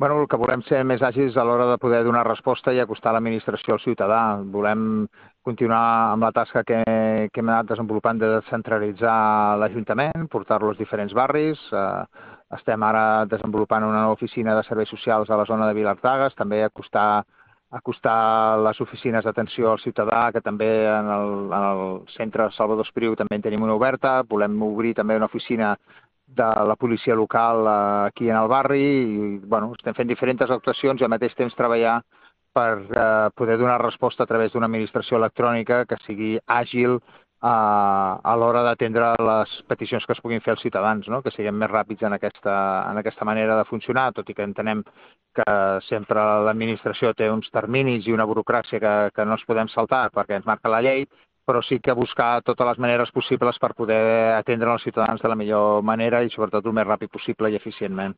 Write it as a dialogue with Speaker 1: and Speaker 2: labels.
Speaker 1: Bueno, el que volem ser més àgils a l'hora de poder donar resposta i acostar l'administració al ciutadà. Volem continuar amb la tasca que hem anat desenvolupant de descentralitzar l'Ajuntament, portar-lo als diferents barris. Estem ara desenvolupant una nova oficina de serveis socials a la zona de Vilardagues, també acostar les oficines d'atenció al ciutadà, que també en el centre Salvador Espriu també en tenim una oberta. Volem obrir també una oficina de la policia local aquí en el barri i estem fent diferents actuacions i al mateix temps treballar per poder donar resposta a través d'una administració electrònica que sigui àgil a l'hora d'atendre les peticions que es puguin fer als ciutadans, no? Que siguem més ràpids en aquesta manera de funcionar, tot i que entenem que sempre l'administració té uns terminis i una burocràcia que no ens podem saltar perquè ens marca la llei, però sí que buscar totes les maneres possibles per poder atendre els ciutadans de la millor manera i sobretot el més ràpid possible i eficientment.